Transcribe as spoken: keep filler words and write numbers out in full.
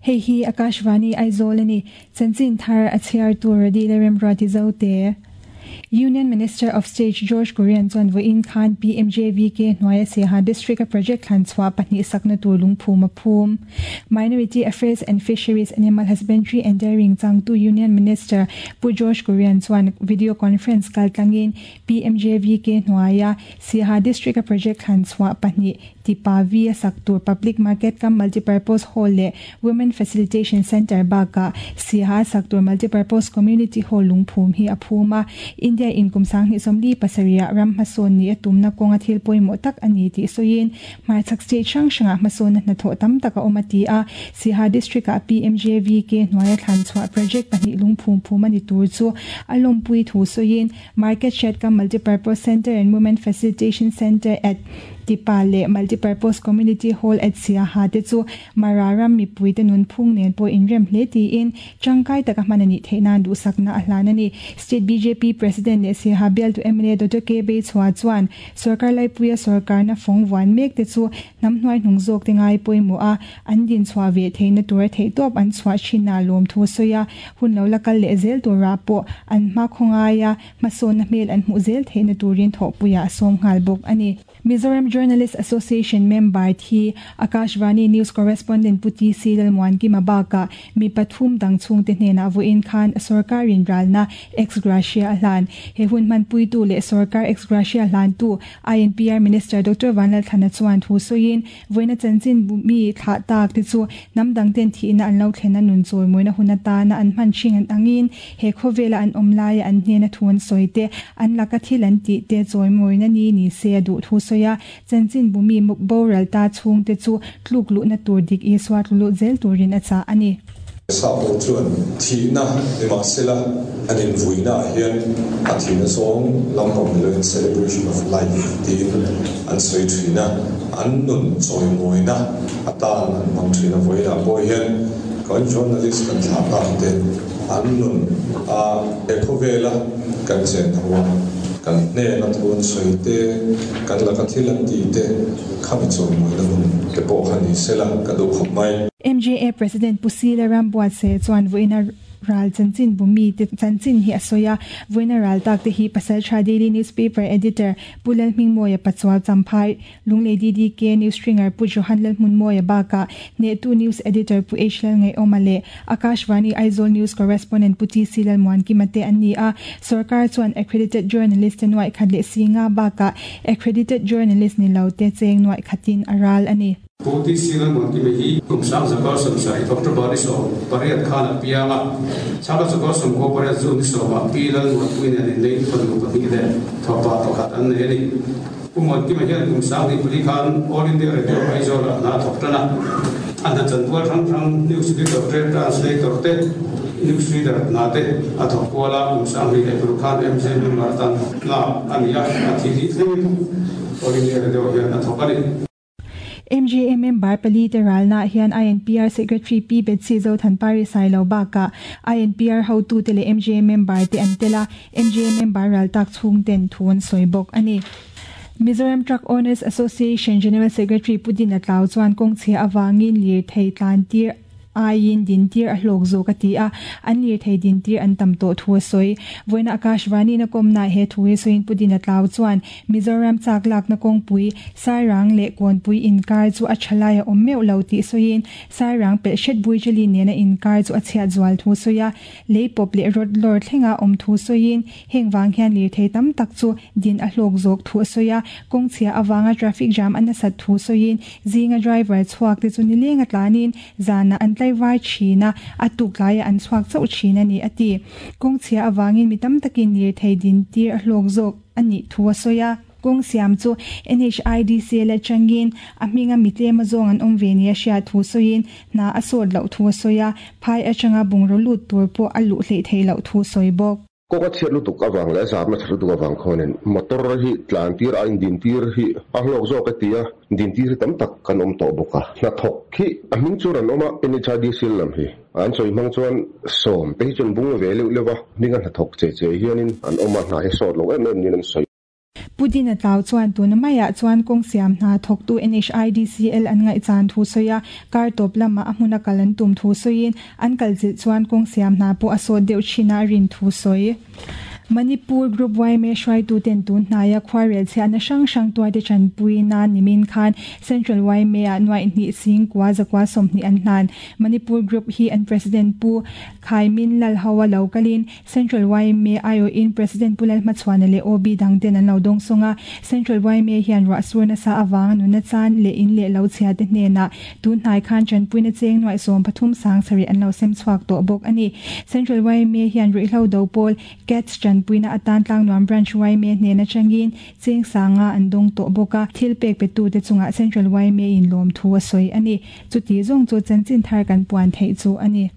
Hei hi Akashvani Aizawl ani chanchin thar a chhiar tur radi le remruati zote. Union Minister of State George Kurian chuan vawiin khan P M J V K hnuaia Siaha District a project thlan chhuah pahnih sakna tur lungphum a phum. Minority Affairs and Fisheries, Animal Husbandry and Dairying changtu Union Minister Pu George Kurian chuan video conference kaltlangin P M J V K hnuaia Siaha District a project thlan chhuah pahnih Tipa V a sak tur Public Market cum Multipurpose Hall leh Women Facilitation Center baka Siaha sak tur Multipurpose Community Hall lungphum hi a phum a. India in kum sanghnih sawmli pasarih ram hmasawn ni a tumna kawnga thil pawimawh tak ani tih sawiin hmarchhak state hrang hrangah hmasawn hnathawh tam tak a awm a ti a. Siaha District ah P M J V K hnuaia thlan chhuah project pahnih lungphum phum ani tur chu a lawmpui thu sawiin Market Shed cum Multipurpose Center and Women Facilitation Center at Tipa leh Multipurpose Community Hall at Siaha te chu Mara ram mipui te nun phung nen pawh inrem hle tiin tangkai taka hman ani theihnan duhsakna a hlan ani. State B J P President leh Siaha bialtu M L A Doctor K Beichhua chuan sarkar laipuia sarkar na fawng vuan mek te chu hnam hnuai hnung zawk te ngai pawimawh a an din chhuah ve theihna tur theih tawp an chhuah thin a lawm thu sawi a. Hun lo la kal leh zel tura pawh an hma khawngaia hmasawnna hmel an hmuh zel theihna turin thawhpuiah a sawm nghal bawk ani. Mizoram Journalist Association member thi Akashvani News Correspondent Puti C Lalmuan Kima baka mi pathum dang chung te hnena vawiin khan sarkarin ralna ex gratia hlan. He hun man puitu le sarkar ex gratia hlan tu I N P R Minister Doctor Vanlal Thana chuan thu soin voina chanchin mi thla tak te chu namdang ten thi na an lo thlena nun chawi moina hunata na an man thing an angin he khovela an omlai an hnena thun soite an laka thil an ti te chawi moina ni ni se du thu soya. Chanchin bumi boral ta chung te chu tluk lu na tur dik i swat lu zel turin acha ani. Sa po chuan thi na ni ma sela an in vui na hian a thi na song lampang lo in celebration of life tin an soi thina an nun choi moi na atan an mang thina voi na po hian kan journalist kan thla ta te an nun a ekovela kan chen hawa kan ne na thun soi te kan la ka thilan ti te khami choi moi na hun te po khani sela ka du khop mai. M J A President Pusila Rambuat se chuan voina ral chanchin bumi te chanchin hi asoya. Voina ral tak te hi Pasal Tha Daily Newspaper editor Pulal Hmingmoya Pachuau, Champhai Lunglei D D K News stringer Pu Johan Lal Hmunmoya baka ne tu news editor Pu H Lal Ngai Omale Akashvani Aizawl News Correspondent Pu T C Lal Muan ki mate ani a. Sarkar chuan accredited journalist te nuai khat le singa baka accredited journalist ni lo te cheng nuai khatin aral ani. Puti singal mon ki me hi kum sang zakar sam sai October ni so pariat khan pianga sala zakar sam ko pariat zu ni so ma pi lal mon pui ne nei fanu pa ni le thopa pakhat an ne ni pu mon ki me hian kum sang ni puli khan All India Radio Aizawl na thok tana an da chantual rang rang news editor te, translator te, news reader na te a thok wala. Kum sang ni le pru khan M J member tan la ania a thi ri thleng All India Radio hian a thok ani. M J A member pali te ralna hian I N P R Secretary P Betsy Zo Thanpari Sailo baka I N P R hotu te le M J A member te an tela. M J A member ral tak chung ten thun soibok ani. Mizoram Truck Owners Association General Secretary Pudin Atlau chuan kong chhia awangin lir thei tlan tir aiin din tir a hlawk zo ka ti a an lir thei din tir an tam to thu soi. Voina Akashvani na kom na he thu soin Pudin Atlau chuan Mizoram chak lak na kong pui Sairang le kon pui in kar chu a thalaya om meu lo ti soin Sairang pe shet bui chali ne na in kar chu a chhia zwal thu soya le pop le rod lor thlenga om thu soin heng wang hian lir thei tam tak chu din a hlawk zok thu soya. Kong chhia awanga traffic jam an sat thu soin zinga driver chuak te chu ni lenga tlanin zana an tlai vai thina atuk lai an chuak chau thina ni ati. Kong chhia awangin mitam takin lir thei din tir a hlawk zok ani thu soya. Kong siam chu N H I D C la changin a hminga mitlema zawng an awm ve ni a hriat thu sawiin hna a sawt loh thu a sawi a. Phai atanga bungraw lut tur pawh a luh hleih theih loh thu sawi bawk. Ko ka chhiat lutuk awang le zam na chhat lutuk awang khonin motor hi tlan tir a in din tir hi a hlawk zawk ka ti a din tir hi tam tak kan awm tawh bawk a. Hna thawk hi a hming chu ran awm a N H I D C lam hi an sawi hmang chuan sawm te hi chuan bung ve leuh leuh a hminga hna thawk che che hianin an awm a hna hi sawt lo em em niin an sawi. Pudina tlau chuan tuna maiah chuan kawng siam hna thawktu N H I D C L an ngaihchan thu sawi a, kar tawp lama a hmuna kal an tum thu sawiin an kal zilh chuan kawng siam hna pawh a sawt deuh thin a rin thu sawi. Manipur Group Y M A hruaitu ten tun hnaia khuarel chhiatna hrang hrang tuarte tanpui nan nimin khan Central Y M A ah nuaih hnih sing kua zakua sawmhnih an hlan. Manipur Group hi an President Pu Khaimin Lalhawa lo kalin Central Y M A aiawhin President Pu Lalhmachhuana leh O B dang ten an lo dawng sawng a. Central Y M A hian ruah sur nasa awanga nuna chan leh in leh lo chhia te hnenah tun hnai khan tanpuina cheng nuaih sawm pathum sang sarih an lo sem chhuak tawh bawk a ni. Central Y M A hian ruihhlo do pawl CATS tanpuina atan Tlangnuam Branch Y M A hnena changin cheng sanga an dawng tawh bawk a, thil pek pe tu te chungah Central Y M A in lawm thu a sawi a ni. Chuti zawng chu chanchin thar kan puan theih chu a ni.